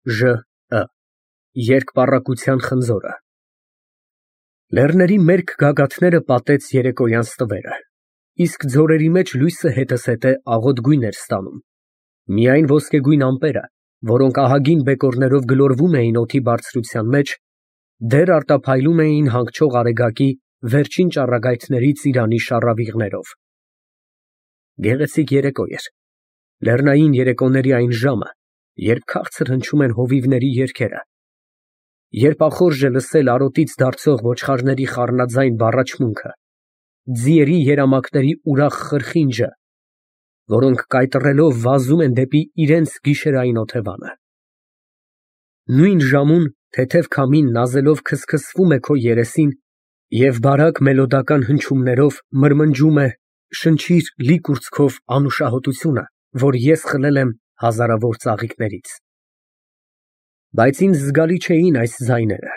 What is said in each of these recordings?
Ժ Երկպառակտության խնձորը։ Լեռների մերկ գագաթները պատեց երեկոյան ստվերը, իսկ ձորերի մեջ լույսը հետզհետե աղոտ գույն էր ստանում, միայն ոսկեգույն ամպերը, որոնք ահագին բեկորներով գլորվում էին օդի բարձրության մեջ, դեռ արտափայլում էին հանգչող արեգակի վերջին ճառագայթների ծիրանի շառավիղներով։ Գեղեցիկ երեկո էր, լեռնային երեկոների այն ժամը, երբ քաղցր հնչում են հովիվների երգերը, երբ ախորժ է լսել արոտից դարձող ոչխարների խառնաձայն բառաչմունքը, ձիերի երամակների ուրախ խրխինջը, որոնք կայտրելով վազում են դեպի իրենց գիշերային օթևանը։ Նույն ժամուն թեթև քամին նազելով քսքսվում է քո երեսին և բարակ մելոդական հնչյուններով մրմնջում է «Շնչիր լի կուրծքով անուշահոտությունը, որ ես խլել եմ հազարավոր ծաղիկներից»։ Բայց ինձ զգալի չէին այս ձայները,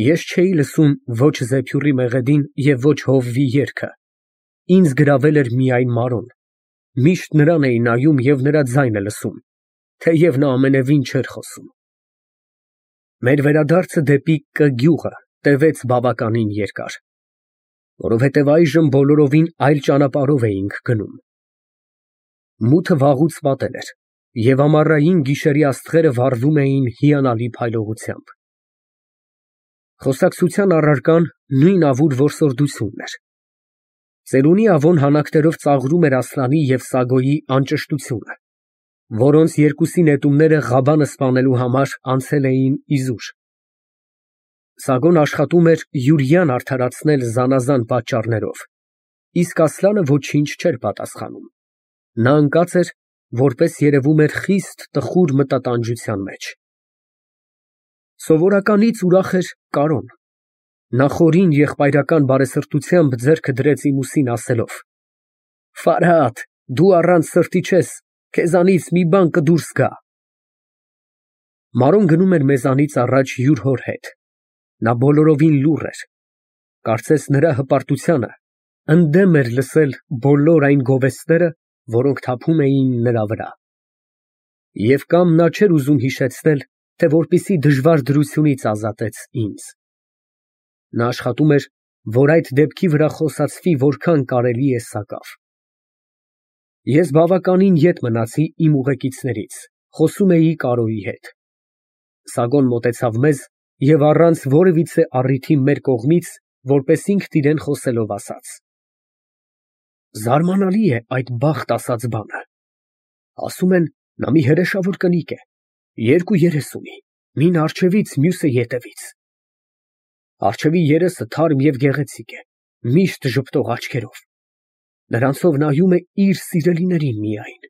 ես չէի լսում ոչ Զեփյուռի մեղեդին և ոչ հովվի երգը, ինձ գրավել էր միայն Մարոն, միշտ նրան էի նայում և նրա ձայնը լսում, թեև նա ամենևին չէր խոսում։ Մեր վերադարձը դեպի Կ գյուղը տևեց բավականին երկար, որովհետև այժմ բոլորովին այլ ճանապարհով էինք գնում։ Մութը վաղուց պատել էր, և ամառային գիշերի աստղերը վառվում էին հիանալի փայլողությամբ։ Խոսակցության առարկան նույն ավուր որսորդությունն էր։ Ծերունի ավոն հանակներով ծաղրում էր Ասլանի և Սագոյի անճշտությունը, որոնց երկուսի նետումները Ղաբանը սպանելու համար անցել էին իզուր։ Սագոն աշխատում էր Յուրիան արդարացնել զանազան պատճառներով, իսկ Ասլանը ոչինչ չէր պատասխանում, նա ընկած էր, որպես երևում էր խիստ տխուր մտատանջության մեջ։ Սովորականից ուրախ էր Կարոն, նա խորին եղբայրական բարեսրտությամբ ձեռքը դրեց իմ ուսին ասելով. «Ֆարհադ, դու առանց սրտի չես, քեզանից մի բան կդուրս գա»։ Մարոն գնում էր մեզանից առաջ յուր հոր հետ, նա բոլորովին լուռ էր, կարծես նրա հպարտությանը ընդդեմ էր լսել բոլոր այն գովեստները, որոնք թափում էին նրա վրա։ Եվ կամ նա չէր ուզում հիշեցնել, թե որպեսզի դժվար դրությունից ազատեց ինձ։ Նա աշխատում էր, որ այդ դեպքի վրա խոսացվի որքան կարելի է սակավ։ Ես բավականին ետ մնացի իմ ուղեկիցներից, խոսում էի Կարոյի հետ։ Սագոն մոտեցավ մեզ և առանց որևիցե առիթի մեր կողմից, որպես ինքն իրեն խոսելով ասաց. «Զարմանալի է այդ Բախտ ասած բանը, ասում են, նա մի հրեշավոր կնիկ է, երկու երես ունի, մին առջևից, մյուսը ետևից։ Առջևի երեսը թարմ և գեղեցիկ է, միշտ ժպտող աչքերով, նրանցով նայում է իր սիրելիներին միայն։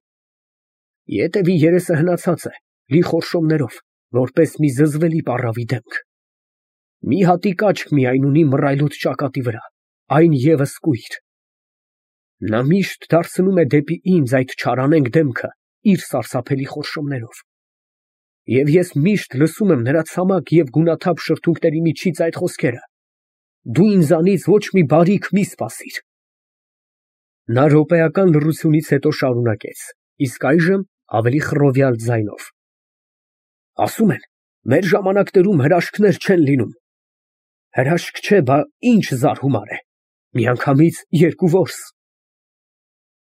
Ետևի երեսը հնացած է, լի խորշոմներով, որպես մի զզվելի պառավի դեմք։ Մի հատիկ աչք միայն ունի մռայլոտ ճակատի վրա, այն ևս կույր։ Նա միշտ դարձնում է դեպի ինձ այդ չարանենգ դեմքը իր սարսափելի խորշոմներով, և ես միշտ լսում եմ նրա ցամաք և գունաթափ շրթունքների միջից այդ խոսքերը. «Դու ինձանից ոչ մի բարիք մի սպասիր»։ Նա րոպեական լռությունից հետո շարունակեց, իսկ այժմ ավելի խռովյալ ձայնով. «Ասում են, մեր ժամանակներում հրաշքներ չեն լինում։ Հրաշք չէ, բա ինչ զարհումար է, միանգամից երկու որս»։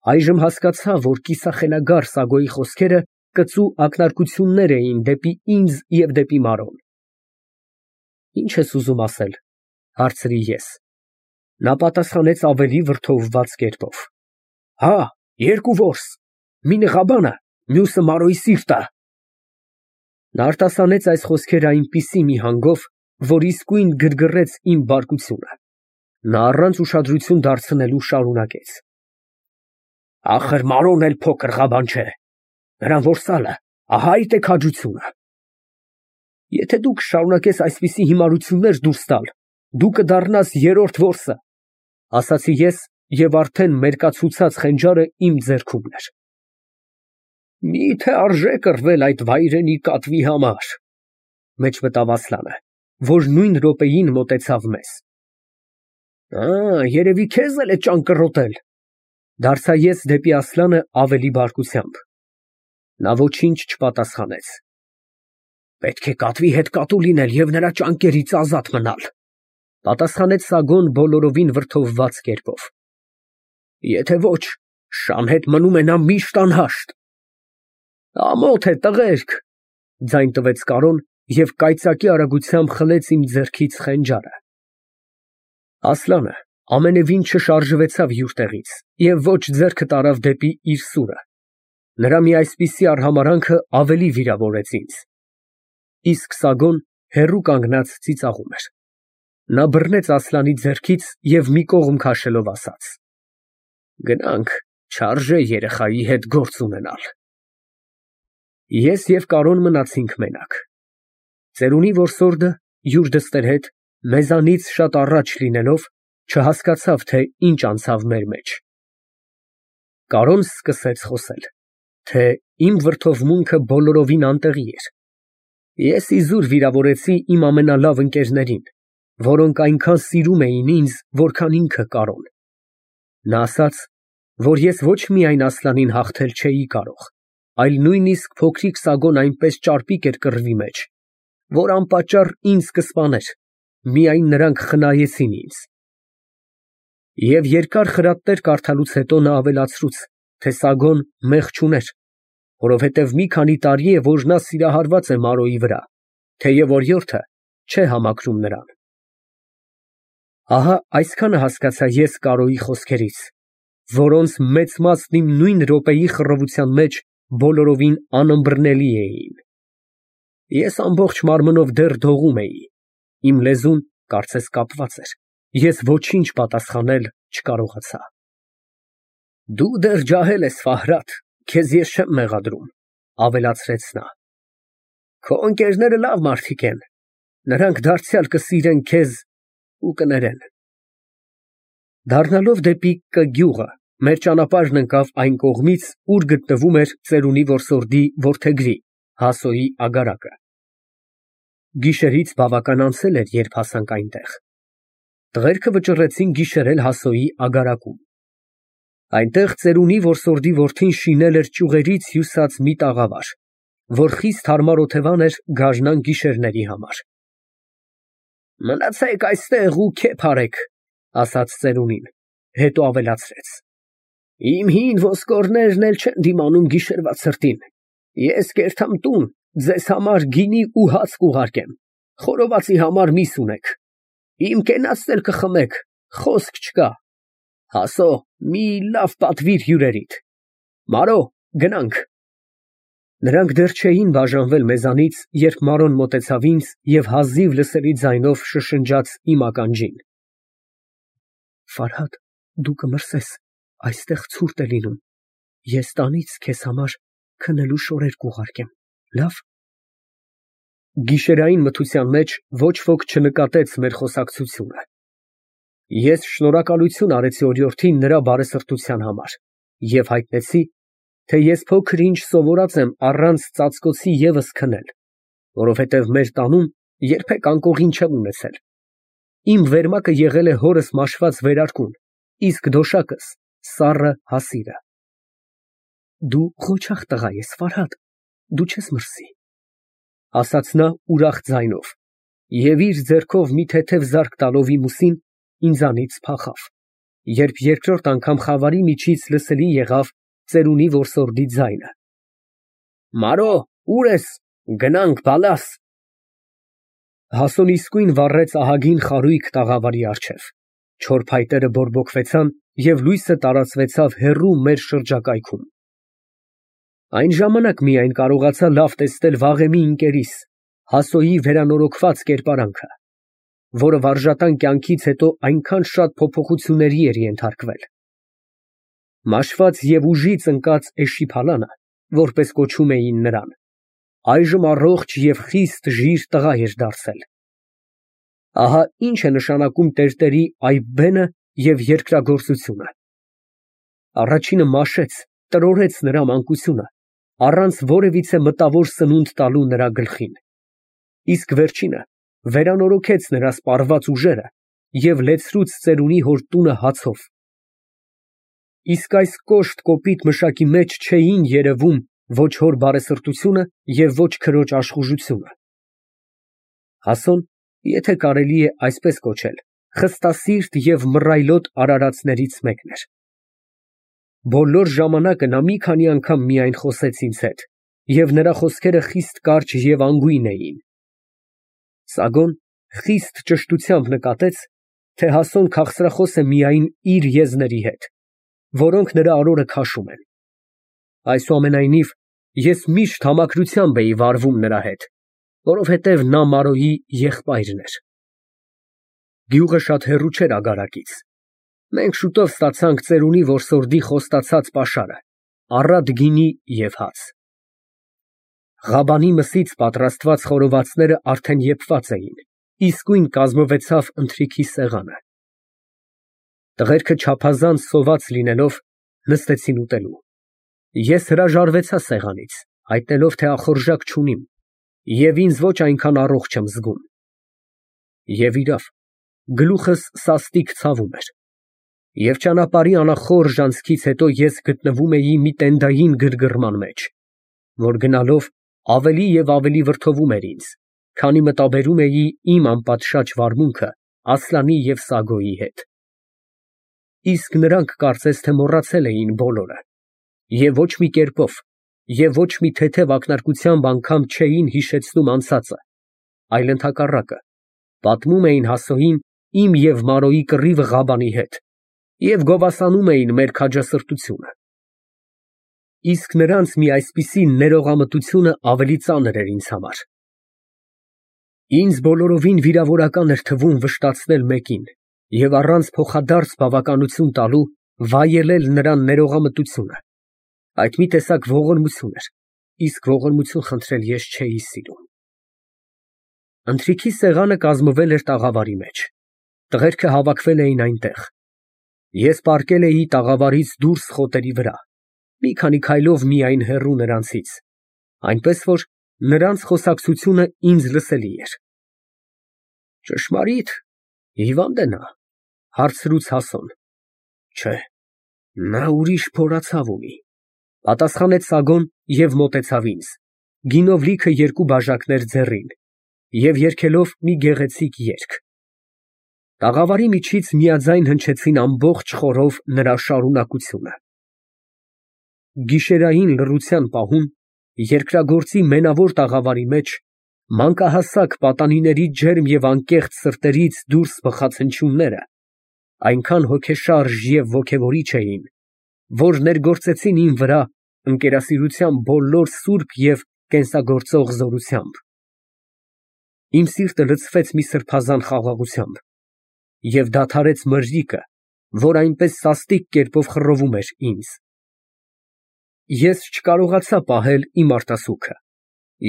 Այժմ հասկացա, որ կիսախելագար Սագոյի խոսքերը կծու ակնարկություններ էին դեպի ինձ և դեպի Մարոն։ «Ի՞նչ ես ուզում ասել», ֊ հարցրի ես։ Նա պատասխանեց ավելի վրդովված կերպով. «Հա, երկու որս, մինը Ղաբանը, մյուսը Մարոյի սիրտը»։ Նա արտասանեց այս խոսքերը այնպիսի մի հանգով, որ իսկույն գրգռեց իմ բարկությունը։ Նա առանց ուշադրություն դարձնելու շարունակեց. «Ախր Մարոն էլ փոքր Ղաբան չէ, նրան որսալը, ահա այդ է քաջությունը։ Եթե դու կշարունակես այսպիսի հիմարություններ դուրս տալ, դու կդառնաս երրորդ որսը», ֊ ասացի ես և արդեն մերկացուցած խենջարը իմ ձեռքում էր։ «Մի՞թե արժե կռվել այդ վայրենի կատվի համար», ֊ մեջ մտավ Ասլանը, որ նույն րոպեին մոտեցավ մեզ։ Երևի քեզ էլ է ճանկռոտել, ֊ դարձա ես դեպի Ասլանը ավելի բարկությամբ։ Նա ոչինչ չպատասխանեց։ Պետք է կատվի հետ կատու լինել և նրա ճանկերից ազատ մնալ, պատասխանեց Սագոն բոլորովին վրդովված կերպով։ Եթե ոչ, շան հետ մնում է նա միշտ անհաշտ։ Ամոթ է, տղերք, ձայն տվեց Կարոն և կայծակի արագությամբ խլեց իմ ձեռքից խենջարը։ Ասլանը ամենևին չշարժվեցավ յուր տեղից և ոչ ձեռքը տարավ դեպի իր սուրը։ Նրա մի այսպիսի արհամարհանքը ավելի վիրավորեց ինձ։ Իսկ Սագոն հեռու կանգնած ծիծաղում էր։ Նա բռնեց Ասլանի ձեռքից և մի կողմ քաշելով ասաց. Գնանք, չարժե երեխայի հետ գործ ունենալ։ Ես և Կարոն մնացինք մենակ։ Ծերունի որսորդը յուր դստեր հետ մեզանից շատ առաջ լինելով չհասկացավ, թե ինչ անցավ մեր մեջ։ Կարոն սկսեց խոսել, թե իմ վրդովմունքը բոլորովին անտեղի էր։ Ես իզուր վիրավորեցի իմ ամենալավ ընկերներին, որոնք այնքան սիրում էին ինձ, որքան ինքը Կարոն։ Նա ասաց, որ ես ոչ միայն Ասլանին հաղթել չէի կարող, այլ նույնիսկ փոքրիկ Սագոն այնպես ճարպիկ էր կռվի մեջ, որ անպատճառ ինձ կսպաներ, միայն նրանք խնայեցին ինձ։ Եվ երկար խրատներ կարդալուց հետո նա ավելացրուց, թե Սագոն մեղք չուներ, որովհետև մի քանի տարի է, որ նա սիրահարված է Մարոյի վրա, թեև օրիորդը չէ համակրում նրան։ Ահա այսքանը հասկացա ես Կարոյի խոսքերից, որոնց մեծ մասն իմ նույն րոպեի խռովության մեջ բոլորովին անըմբռնելի էին։ Ես ամբողջ մարմնով դեռ դողում էի, իմ լեզուն կարծես կապված էր, ես ոչինչ պատասխանել չկարողացա։ Դու դեռ ջահել ես, Ֆահրատ, քեզ ես չեմ մեղադրում, ավելացրեց նա։ Քո ընկերները լավ մարդիկ են, նրանք դարձյալ կսիրեն քեզ ու կներեն։ Դառնալով դեպի Կ գյուղը, մեր ճանապարհն ընկավ այն կողմից, ուր գտնվում էր ծերունի որսորդի որդեգրի Հասոյի ագարակը։ Գիշերից բավական անցել էր, երբ հասանք այնտեղ։ Տղերքը վճռեցին գիշերել Հասոյի ագարակում։ Այնտեղ ծերունի որսորդի որդին շինել էր ճյուղերից հյուսած մի տաղավար, որ խիստ հարմար օթևան էր գարնան գիշերների համար։ Մնացեք այստեղ ու քեփ արեք, ասաց ծերունին, հետո ավելացրեց. Իմ հին ոսկորներն էլ չեն դիմանում գիշերվա ցրտին, ես կերթամ տուն, ձեզ համար գինի ու հաց կուղարկեմ, խորովածի համար միս ունեք, իմ կենացն էլ կխմեք, խոսք չկա, Հասո, մի լավ պատվիր հյուրերիդ, Մարո, գնանք։ Նրանք դեռ չէին բաժանվել մեզանից, երբ Մարոն մոտեցավ ինձ և հազիվ լսելի ձայնով շշնջաց իմ ականջին. Ֆարհադ, դու կմրսես, այստեղ ցուրտ է լինում, ես տանից քեզ համար քնելու շորեր կուղարկեմ, լավ։ Գիշերային մթության մեջ ոչ ոք չնկատեց մեր խոսակցությունը։ Ես շնորհակալություն արեցի օրիորդին նրա բարեսրտության համար և հայտնեցի, թե ես փոքր ինչ սովորած եմ առանց ծածկոցի ևս քնել, որովհետև մեր տանում երբեք անկողին չեմ ունեցել։ Իմ վերմակը եղել է հորս մաշված վերարկուն, իսկ դոշակս սառը հասիրը։ Դու ղոչաղ տղա ես, Ֆարհադ, դու չես մրսի, ասաց նա ուրախ ձայնով և իր ձեռքով մի թեթև զարկ տալով իմ ուսին, ինձանից փախավ, երբ երկրորդ անգամ խավարի միջից լսելի եղավ ծերունի որսորդի ձայնը. Մարո, ուր ես, գնանք բալաս։ Հասոն իսկույն վառեց ահագին խարույկ տաղավարի առջև, չոր փայտերը բորբոքվեցան և լույսը տարածվեցավ հեռու մեր շրջակայքում։ Այն ժամանակ միայն կարողացա լավ տեսնել վաղեմի ընկերիս, Հասոյի վերանորոգված կերպարանքը, որը վարժատան կյանքից հետո այնքան շատ փոփոխությունների էր ենթարկվել։ Մաշված և ուժից ընկած էշիփալանը, որպես կոչում էին նրան, այժմ առողջ և խիստ ժիր տղա էր դարձել։ Ահա ինչ է նշանակում տերտերի այբբենը և երկրագործությունը։ Առաջինը մաշեց, տրորեց նրա մանկությունը, առանց որևիցե մտավոր սնունդ տալու նրա գլխին, իսկ վերջինը վերանորոգեց նրա սպառված ուժերը և լեցրուց ծերունի հոր տունը հացով։ Իսկ այս կոշտ կոպիտ մշակի մեջ չէին երևում ոչ հոր բարեսրտությունը և ոչ քրոջ աշխուժությունը։ Հասոն, եթե կարելի է այսպես կոչել, խստասիրտ և մռայլոտ արարածներից մեկն էր։ Բոլոր ժամանակը նա մի քանի անգամ միայն խոսեց ինձ հետ, և նրա խոսքերը խիստ կարճ և անգույն էին։ Սագոն խիստ ճշտությամբ նկատեց, թե Հասոն քաղցրախոս է միայն իր եզների հետ, որոնք նրա արորը քաշում են։ Այսուամենայնիվ, ես միշտ համակրությամբ էի վարվում նրա հետ, որովհետև նա Մարոյի եղբայրն էր։ Գյուղը շատ հեռու չէր ագարակից։ Մենք շուտով ստացանք ծերունի որսորդի խոստացած պաշարը՝ առատ գինի և հաց։ Ղաբանի մսից պատրաստված խորովածները արդեն եփված էին, իսկույն կազմվեցավ ընթրիքի սեղանը։ Տղերքը չափազանց սոված լինելով, նստեցին ուտելու։ Ես հրաժարվեցա սեղանից, հայտնելով, թե ախորժակ չունիմ և ինձ ոչ այնքան առողջ եմ զգում։ Եվ իրավ, գլուխս սաստիկ ցավում էր, և ճանապարհի անախորժ անցքից հետո ես գտնվում էի մի տենդային գրգռման մեջ, որ գնալով ավելի և ավելի վրդովում էր ինձ, քանի մտաբերում էի իմ անպատշաճ վարմունքը Ասլանի և Սագոյի հետ։ Իսկ նրանք կարծես թե մոռացել էին բոլորը, և ոչ մի կերպով, և ոչ մի թեթև ակնարկությամբ անգամ չէին հիշեցնում անցածը, այլ ընդհակառակը, պատմում էին Հասոյին իմ և Մարոյի կռիվը Ղաբանի հետ և գովասանում էին մեր քաջասրտությունը։ Իսկ նրանց մի այսպիսի ներողամտությունը ավելի ծանր էր ինձ համար։ Ինձ բոլորովին վիրավորական էր թվում վշտացնել մեկին և առանց փոխադարձ բավականություն տալու վայելել նրա ներողամտությունը։ Այդ մի տեսակ ողորմություն էր, իսկ ողորմություն խնդրել ես չէի սիրում։ Ընթրիքի սեղանը կազմվել էր տաղավարի մեջ։ Տղերքը հավաքվել էին այնտեղ։ Ես պառկել էի տաղավարից դուրս խոտերի վրա, մի քանի քայլով միայն հեռու նրանցից, այնպես որ նրանց խոսակցությունը ինձ լսելի էր։ Ճշմարի՞տ, հիվա՞նդ է նա, հարցրուց Հասոն։ Չէ, նա ուրիշ փորացավ ունի, պատասխանեց Սագոն և մոտեցավ ինձ, գինով լիքը երկու բաժակներ ձեռին, և երգելով մի գեղեցիկ երգ։ Տաղավարի միջից միաձայն հնչեցին ամբողջ խորով նրա շարունակությունը։ Գիշերային լռության պահում երկրագործի մենավոր տաղավարի մեջ մանկահասակ պատանիների ջերմ և անկեղծ սրտերից դուրս բխած հնչյունները այնքան հոգեշարժ և ոգևորիչ էին, որ ներգործեցին իմ վրա ընկերասիրության բոլոր սուրբ և կենսագործող զորությամբ։ Իմ սիրտը լցվեց մի սրբազան խաղաղությամբ և դադարեց մրրիկը, որ այնպես սաստիկ կերպով խռովում էր ինձ։ Ես չկարողացա պահել իմ արտասուքը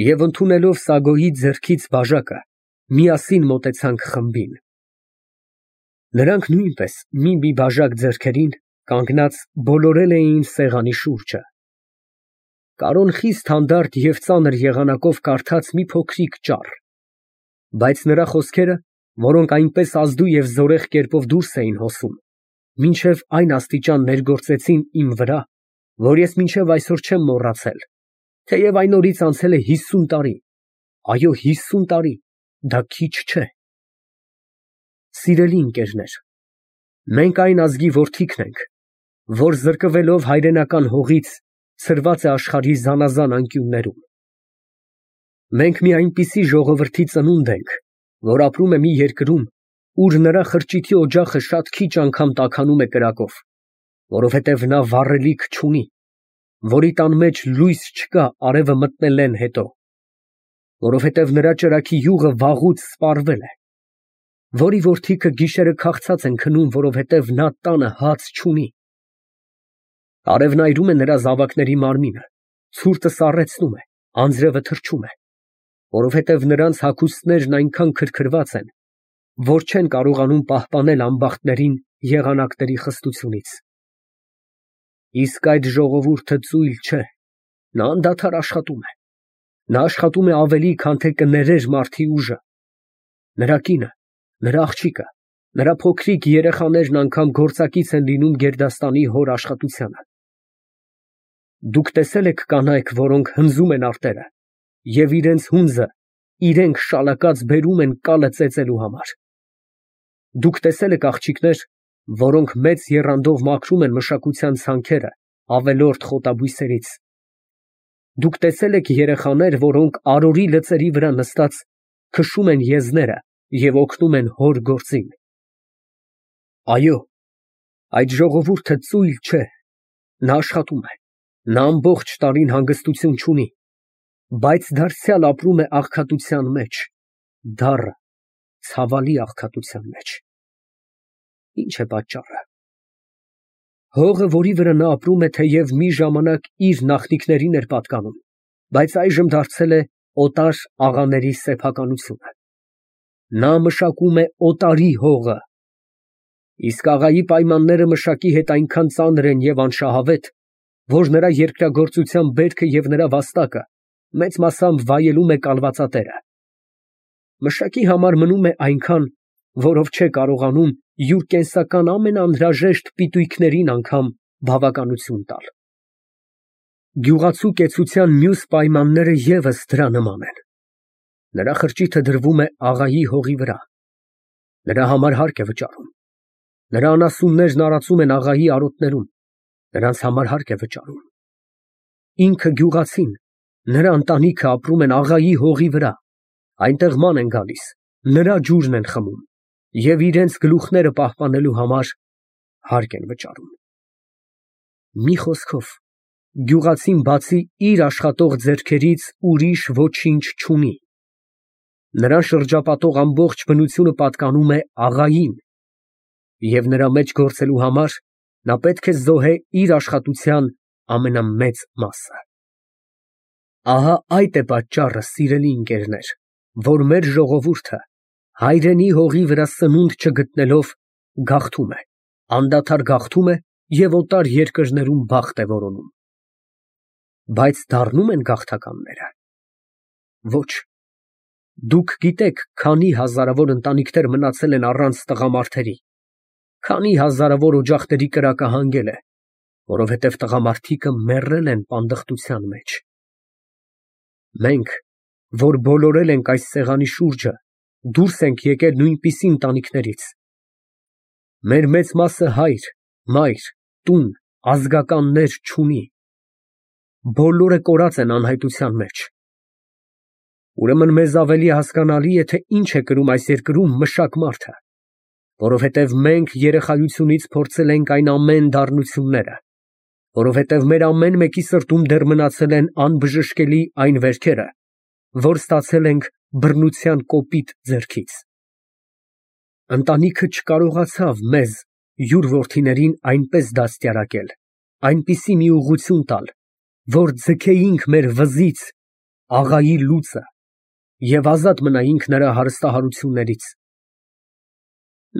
և ընդունելով Սագոյի ձեռքից բաժակը, միասին մոտեցանք խմբին։ Նրանք նույնպես մի բաժակ ձեռքերին, կանգնած բոլորել էին սեղանի շուրջը։ Կարոն խիստ հանդարտ և ծանր եղանակով կարդաց մի փոքրիկ ճառ, բայց նրա խոսքերը, որոնք այնպես ազդու և զորեղ կերպով դուրս էին հոսում, մինչև այն աստիճան ներգործեցին իմ վրա, որ ես մինչև այսօր չեմ մոռացել, թեև այն օրից անցել է 50 տարի, այո 50 տարի, դա քիչ չէ։ Սիրելի ընկերներ, մենք այն ազգի որդիքն ենք, որ զրկվելով հայրենական հողից ցրված է աշխարհի զանազան անկյուններում։ Մենք մի այնպիսի ժողովրդի ծնունդ ենք, որ ապրում է մի երկրում, ուր նրա խրճիթի օջախը շատ քիչ անգամ տաքանում է կրակով, որովհետև նա վառելիք չունի, որի տան մեջ լույս չկա արևը մտնելեն հետո, որովհետև նրա ճրագի յուղը վաղուց սպառվել է, որի որդիքը գիշերը քաղցած են քնում, որովհետև նա տանը հաց չունի։ Արևն այրում է նրա զավակների մարմինը, ցուրտը սառեցնում է, անձրևը թրջում է, որովհետև նրանց հագուստներն այնքան քրքրված են, որ չեն կարողանում պահպանել ամբախտներին եղանակների խստությունից։ Իսկ այդ ժողովուրդը ծույլ չէ, նա անդադար աշխատում է։ Նա աշխատում է ավելի, քան թե կներեր մարդի ուժը։ Նրա կինը, նրա աղջիկը, նրա փոքրիկ երեխաներն անգամ գործակից են լինում գերդաստանի հոր աշխատությանը։ Դուք տեսե՞լ եք կանայք, որոնք հնձում են արտերը և իրենց հունձը իրենք շալակած բերում են կալը ծեծելու համար։ Դուք տեսել եք աղջիկներ, որոնք մեծ եռանդով մաքրում են մշակության ցանքերը ավելորդ խոտաբույսերից։ Դուք տեսել եք երեխաներ, որոնք արորի լծերի վրա նստած քշում են եզները և օգնում են հոր գործին։ Այո, այդ ժողովուրդը ծույլ չէ, նա աշխատում է, նա ամբողջ տարին հանգստություն չունի, բայց դարձյալ ապրում է աղքատության մեջ, դառը, ցավալի աղքատության մեջ։ Ինչ է պատճառը։ Հողը, որի վրա նա ապրում է, թեև մի ժամանակ իր նախնիքներին էր պատկանում, բայց այժմ դարձել է օտար աղաների սեփականությունը։ Նա մշակում է օտարի հողը։ Իսկ աղայի պայմանները մշակի հետ այնքան ծանր են և անշահավետ, որ նրա երկրագործության բերքը և նրա վաստակը մեծ մասամբ վայելում է կալվածատերը։ Մշակի համար մնում է այնքան, որով չէ կարողանում յուր կենսական ամենաանհրաժեշտ պիտույքներին անգամ բավականություն տալ։ Գյուղացու կեցության մյուս պայմանները ևս դրա նման են։ Նրա խրճիթը դրվում է աղայի հողի վրա։ Նրա համար հարկ է վճարում։ Նրա անասուններն արածում են աղայի արոտներում, նրանց համար հարկ է վճարում։ Ինքը գյուղացին, նրա ընտանիքը ապրում են աղայի հողի վրա, այնտեղ ման են գալիս, նրա ջուրն են խմում և իրենց գլուխները պահպանելու համար հարկ են վճարում։ Մի խոսքով, գյուղացին բացի իր աշխատող ձեռքերից ուրիշ ոչինչ չունի։ Նրան շրջապատող ամբողջ բնությունը պատկանում է աղային, և նրա մեջ գործելու համար նա պետք է զոհե իր աշխատության ամենամեծ մասը։ Ահա այդ է պատճառը, սիրելի ընկերներ, որ մեր ժողովուրդը հայրենի հողի վրա սնունդ չգտնելով գաղթում է, անդադար գաղթում է և օտար երկրներում բախտ է որոնում։ Բայց դառնո՞ւմ են գաղթականները։ Ոչ։ Դուք գիտեք, քանի հազարավոր ընտանիքներ մնացել են առանց տղամարդերի, քանի հազարավոր օջախների կրակը հանգել է, որովհետև տղամարդիկը մեռել են պանդխտության մեջ։ Մենք, որ բոլորել ենք այս սեղանի շուրջը, դուրս ենք եկել նույնպիսի ընտանիքներից։ Մեր մեծ մասը հայր, մայր, տուն, ազգականներ չունի։ Բոլորը կորած են անհայտության մեջ։ Ուրեմն մեզ ավելի հասկանալի է, թե ինչ է կրում այս երկրում մշակ մարդը, որովհետև մենք երեխայությունից փորձել ենք այն ամեն դառնությունները, որովհետև մեր ամեն մեկի սրտում դեռ մնացել են անբժշկելի այն վերքերը, որ ստացել ենք բռնության կոպիտ ձեռքից։ Ընտանիքը չկարողացավ մեզ, յուր որդիներին այնպես դաստիարակել, այնպիսի մի ուղղություն տալ, որ ձգեինք մեր վզից աղայի լուծը և ազատ մնայինք նրա հարստահարություններից։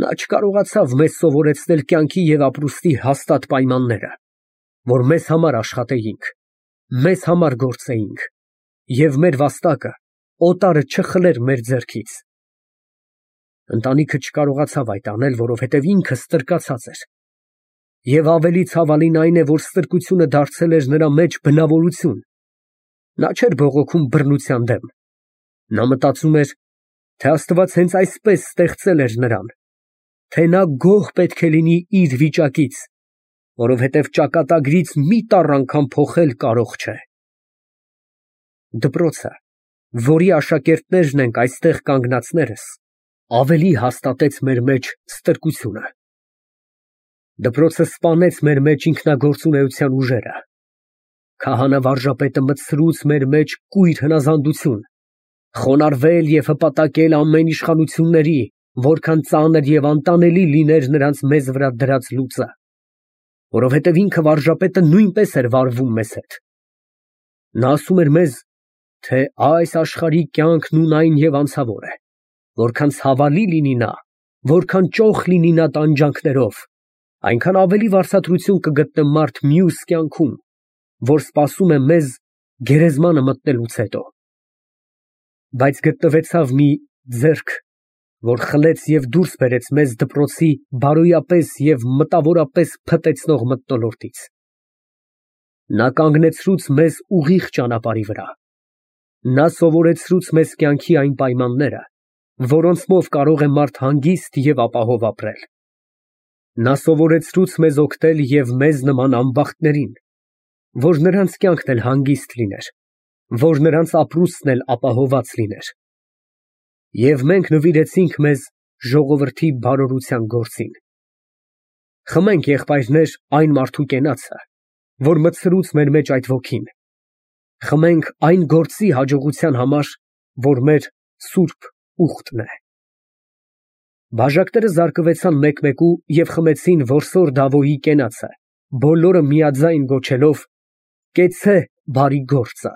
Նա չկարողացավ մեզ սովորեցնել կյանքի և ապրուստի հաստատ պայմանները, որ մեզ համար աշխատեինք, մեզ համար գործեինք, և մեր վաստակը օտարը չխլեր մեր ձեռքից։ Ընտանիքը չկարողացավ այդ անել, որովհետև ինքը ստրկացած էր։ Եվ ավելի ցավալին այն է, որ ստրկությունը դարձել էր նրա մեջ բնավորություն։ Նա չէր բողոքում բռնության դեմ։ Նա մտածում էր, թե Աստված հենց այսպես ստեղծել էր նրան, թե նա գոհ պետք է լինի իր վիճակից, որովհետև ճակատագրից մի տառ անգամ փոխել կարող չէ։ Դպրոցը, որի աշակերտներն ենք այստեղ կանգնածներս, ավելի հաստատեց մեր մեջ ստրկությունը։ Դպրոցը սպանեց մեր մեջ ինքնագործունեության ուժերը։ Քահանա վարժապետը մտցրուց մեր մեջ կույր հնազանդություն, խոնարհվել և հպատակել ամեն իշխանությունների, որքան ծանր և անտանելի լիներ նրանց մեզ վրա դրած լուծը, որովհետև ինքը վարժապետը նույնպես էր վարվում մեզ հետ։ Նա ասում էր մեզ, թե այս աշխարհի կյանքն ունայն և անցավոր է, որքան ցավալի լինի նա, որքան ճոխ լինի նա տանջանքներով, այնքան ավելի վարձատրություն կգտնե մարդ մյուս կյանքում, որ սպասում է մեզ գերեզմանը մտնելուց հետո։ Բայց գտնվեցավ մի ձեռք, որ խլեց և դուրս բերեց մեզ դպրոցի բարոյապես և մտավորապես փտեցնող մթնոլորտից։ Նա կանգնեցրուց մեզ ուղիղ ճանապարհի վրա։ Նա սովորեցրուց մեզ կյանքի այն պայմանները, որոնցմով կարող է մարդ հանգիստ և ապահով ապրել։ Նա սովորեցրուց մեզ օգնել և մեզ նման անբախտներին, որ նրանց կյանքն էլ հանգիստ լիներ, որ նրանց ապրուստն էլ ապահովված լիներ։ Եվ մենք նվիրեցինք մեզ ժողովրդի բարօրության գործին։ Խմենք, եղբայրներ, այն մարդու կենացը, որ մտցրուց մեր մեջ այդ ոգին, խմենք այն գործի հաջողության համար, որ մեր սուրբ ուխտն է։ Բաժակները զարկվեցան մեկ֊մեկու և խմեցին որսոր Դավոյի կենացը, բոլորը միաձայն գոչելով. «Կեցցե, բարի գործը»։